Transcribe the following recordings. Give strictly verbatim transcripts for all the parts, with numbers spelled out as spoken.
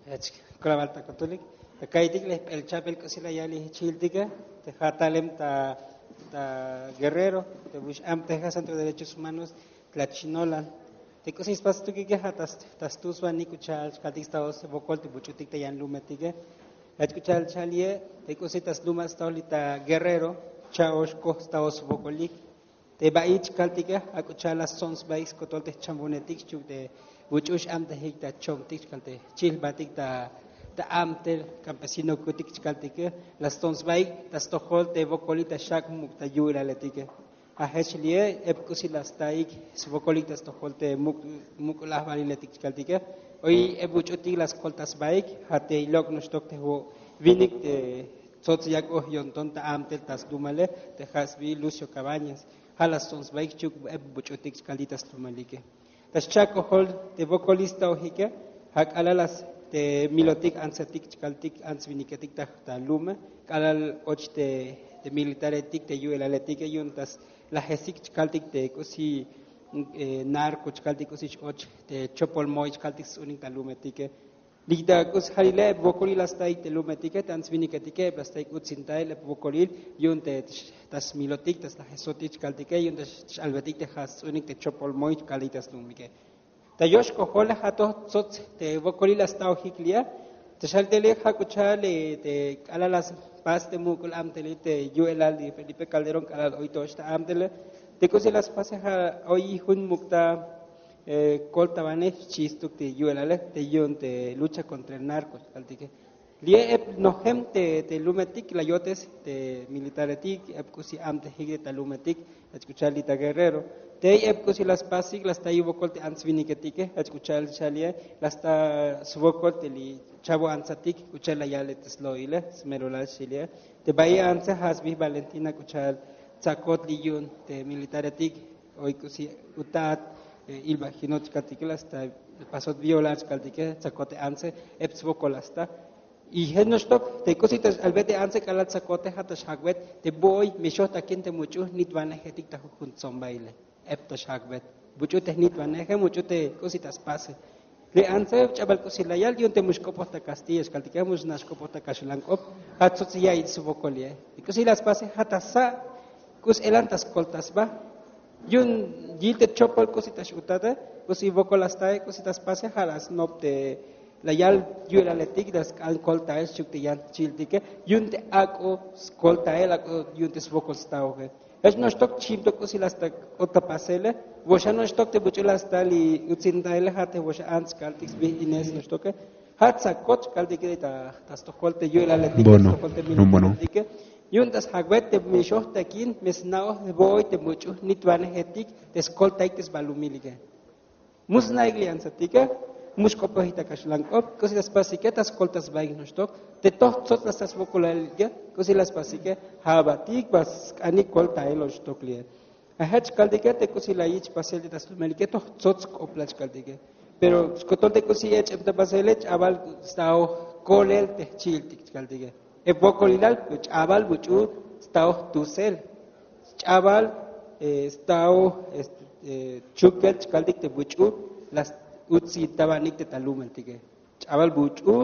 Jech kolabalta kotulik. Ka'iytik le jp'elchabel k'usi la yal li jchi'iltike, te ja' talem ta ta Guerrero, te bix am te ja' Centro de Derechos Humanos tla chinolan. Te k'usi spas tukike ja' ta stusbanik k'u cha'al chkaltik sta wokol te buch'utik ta yan lumetike. Jech k'u cha'al cha'al ye te k'usi ta slumal sta li ta Guerrero, cha'ox koj sta swokolik. Te ba'ich kaltike, ak'u cha'al la stsontsbaik skotol te jchambonetik xchuk te buch'u x'amtejik ta chomtik xkal te jchi'ilbatik ta ta amtel campesino kutik chkaltike, la stsontsbaik ta stojol te wokolik ta xak' muk' ta yu'elaletike. A jech li'e, ep k'usi la staik swokolik ta stojol te muk' muk'ul ajwaliletik chkaltike, oy ep buch'utik la skoltasbaik. Ja' te ilok' noxtok te wo' winik te tsots yak'oj yonton ta amtel ta slumale, te ja' sbi Lucio Cabañas. Ja' la stsontsbaik xchuk ep buch'utik chkaltik ta slumalike. Ta xcha'kojol te wokolil staojike, ja' k'alal la s- te milotik antsetik chkaltik ants winiketik ta ta lume, k'alal och te te militaretik te yu'elaletike yu'un ta slajesik chkaltik te k'usi eh, narco chkaltik k'usi x-och te chopol moy chkaltik sts'unik ta lumetike. Li ta k'usi jalile ep wokolil la staik te lumetike, ta ants winiketike ep la staik utsintael ep wokolil yu'un te ta smilotik ta slajesotik chkaltike yu'un ta x-albetik te ja' sts'unik te chopol moy chkaltik ta slumike. Ta yox kojole ja' toj tsots te wokolil la staojik li'e. Te xal te li'e ja' k'u cha'al te k'alal la spas te muk'ul amtelil te yu'elal li Felipe Calderón k'alal oy tox ta amtele. Te k'usi la spase ja' oy jun muk' ta eh, koltawanej xchi stuk te yu'elale te yu'un te lucha contra el narco chkaltike. Li'e ep nojem te te lumetik la yotes te militaretik ep k'usi amtejik te ta lumetik. Jech k'u cha'al li ta Guerrero, tey ep k'usi la spasik la sta yu'un wokol te ants winiketike. Jech k'u cha'al xa li'e la sta swokol te li chavo antsatik k'u cha'al la yale te slo'ile smerolal xchi li'e. Te ba'i antse ja' sbi Valentina k'u cha'al tsakot li yu'un te militaretik. Oy k'usi utat ilbajinot chkaltike la sta pasot violar chkaltike, tsakote antse ep swokol la sta. Y jech noxtok te k'usi ta x-albet te antse k'alal tsakote ja' ta xjak'bet te bo'oy me xojtakin te much'u jnitwanejetik ta jujun tsombaile. Ep ta xjak'bet buch'u te jnitwaneje much'u te k'usi ta spase. Li antse ch'abal k'usi la yal yu'un te mux k'opoj ta kastilla xkaltike mux nax k'opoj ta kaxlan k'op. Ja' tsots ya'iyich swokol li'e. K'usi la spase ja' ta sa' k'us elan ta skolta sba. Yu'un yil te chopol k'usi ta x-utate, k'usi wokol la stae k'usi ta spase ja' la snop te la yal yu'elaletik ta sk'an koltael xchuk te yan jchi'iltike. Yu'un te ak'o skoltael ak'o yu'un te swokol staoje. Jech noxtok chimtok k'usi la sta k'ot ta pasele. Woxa noxtok te buch'u la sta li utsintaele ja' te woxa ants kaltik sbij ines noxtoke. Ja' tsakot kaltike ta stojol te yu'elaletik ta stojol te militaretike. Yu'un ta sjak'bet te mixoj takin me sna'oj te bo'oy te much'u jnitwanejetik te skoltaik te sbalumilike. Mu sna'ik li antsetike, mu xk'opojik ta kaxlan k'op. K'usi la spasike ta skolta sbaik noxtok te toj tsots la sta swokolalike. K'usi la spasike ja' abatik ba sk'anik koltael oxtok li'e. A jech kaltike te k'usi la yich pasel te ta slumelike toj tsots k'oplal chkaltike. Pero skotol te k'usi ech'em ta pasele ch'abal staoj kolel te jchi'iltik chkaltike. Ep wokolilal ch'abal buch'u staoj tusel. Ch'abal staoj chukel chkaltik te buch'u la utsintabanik te ta lumeltike. Ch'abal buch'u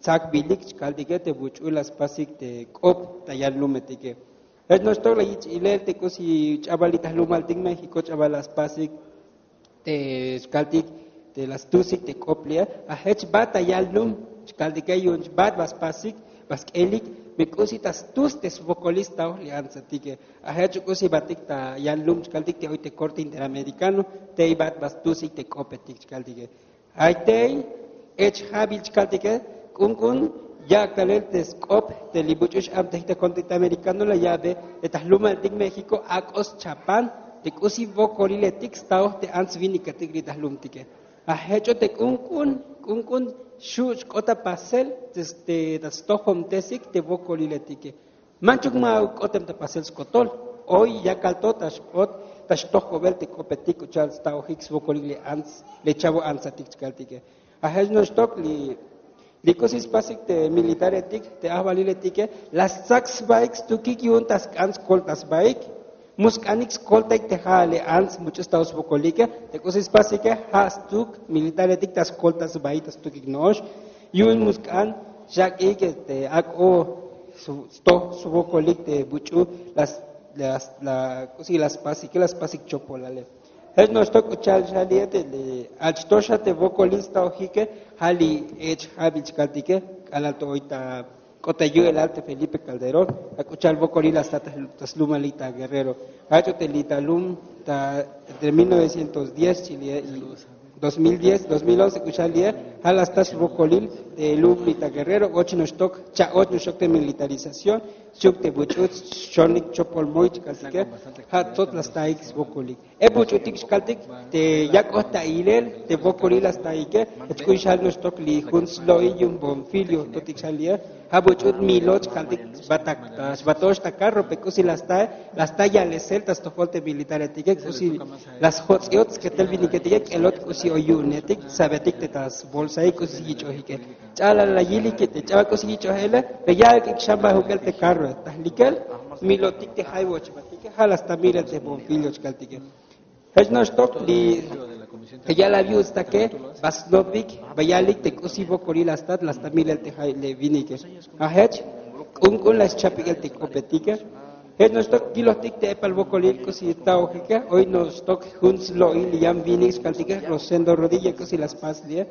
tsakbilik chkaltike te buch'u la spasik te k'op ta yan lumetike. Jech noxtok la yich ilel te k'usi ch'abal li ta jlumaltik México ch'abal la spasik te xkaltik te la stusik te k'op li'e. A jech bat ta yan lum chkaltike yu'un bat ba spasik ba sk'elik me k'usi ta stus te swokolil staoj li antsetike. A jech k'usi batik ta yan lum chkaltik te oy te Corte Interamericano tey bat ba stusik te k'opetik chkaltike. Ay tey ech jabil chkaltike k'unk'un yak' talel te sk'op te li buch'u x-amtejik ta Corte Interamericano la ya'be te ta jlumaltik México ak'o schapan te k'usi wokoliletik staoj te ants winiketik li ta jlumtike. A jech'o te k'unk'un k'unk'un xu' xk'ot ta pasel te ta stojomtesik te wokoliletike. Manchuk ma k'otem ta pasel skotol. Oy yakal to ta xk'ot ta xtojk'obel te k'opetik k'u cha'al staojik swokolik li ants li chavo antsatik chkaltike. A jech noxtok li li k'usi spasik te militaretik te ajwaliletike la stsak sbaik stukik yu'un ta sk'an skolta sbaik. Musk'anik skoltaik te ja'ale ants much'u sta swokolike. Te k'usi spasike ja' stuk militaretik ta skolta sbaik ta stukik no'ox. Yu'un musk'an xak'ik te ak'o stoj swokolik te buch'u la k'usi la spasike la spasik chopolale. Jech no'ox to k'u cha'al xali'e te ach to xa te wokolil sta ojike. Ja' li ech jabil chkaltike k'alal to oy ta k'ot ta yu'elal te Felipe Calderón. Ja' k'u cha'al wokolil la sta ta slumalik ta Guerrero. Jach o te li ta lum ta entre mil novecientos diez chi li'e y dos mil diez dos mil once k'u cha'al li'e. Ja' la sta swokolil te lum li ta Guerrero och noxtok cha'och noxtok te militarización. Xchuk te buch'u xonik chopol moy chkaltike. Ja' tzot la staik swokolik e buch'utik xkaltik te yak'oj ta ilel te wokolil la staike. Jech k'u xal noxtok li jun slo'il yu'un Bonfilio totik xal li'e. Ja' buch'u milo chkaltik xbato'ox ta carro pe k'usi la sta la sta yalesel ta stojol te militaretike k'usi la sjots'iot sketel winiketike k'elot k'usi oy yu'unetik sabetik te ta sbolsaik k'usi yich'ojike. Ch'alal la yilike te ch'abal k'usi yich'ojele. Pe ya'ik xan ba juk'el te carro ta jlikel milotik te jaywoch batike ja' la sta milel te Bonfilio chkaltike. Jech noxtok li te ya'lab yu'un stake ba snopik ba yalik te k'usi wokolil la stat la sta milel te jay le winike. Ja' jech k'unk'un la schapik'el te k'opetike. Jech noxtok yilojtik te epal wokolil k'usi ta ojike oy noxtok jun slo'il li yan winik xkaltike Rosendo Rodilla k'usi la spas li'e.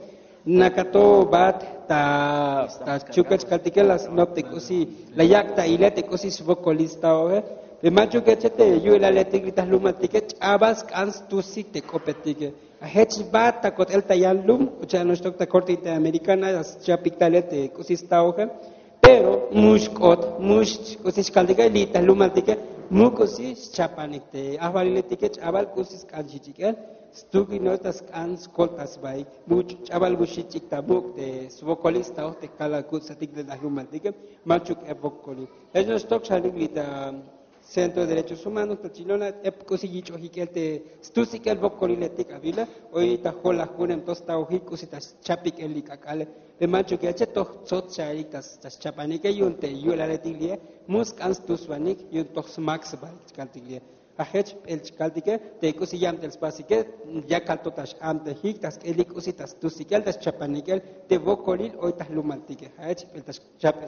Nakato bat ta ta chukech kaltike la snop te k'usi la yak' ta ile te k'usi swokolil sta oje. Pe manchukeche te yu'elaletik li ta jlumaltike ch'abal sk'an stusik te k'opetike. Ajech bat ta kotel ta yan lum k'u cha'al noxtok ta korte interamericana la schapik talel te k'usi sta oje. Pero mux k'ot mux k'usi xkaltike li ta jlumaltike mu k'usi xchapanik te ajwaliletike ch'abal k'usi sk'an xich'ik'el. Stuk li no'ox ta sk'an skolta sbaik much' ch'abal mu xich'ik ta muk' te swokolil sta oj te kalal kutz'atik te ta jlumaltike. Manchuk ep wokolil jech noxtok xalik li ta centro de derechos humanos ta chilona ep k'usi yich'ojik'el te stusik'el wokoliletik awila. Oy ta jolajun em to sta ojik k'usi ta schapik'el li k'ak'ale. Pe manchukeche toj tzot xalik ta schapanike yu'un te yu'elaletik li'e mu sk'an stuswanik yu'un toj smak sbaik chkaltik li'e. Ajech p'el chkaltike te k'usi yabtel spasike yakal to ta x'amtejik ta sk'elik k'usi ta stusik'el ta schapanikel te wokolil oy ta jlumaltike. Ajech p'el ta xchapel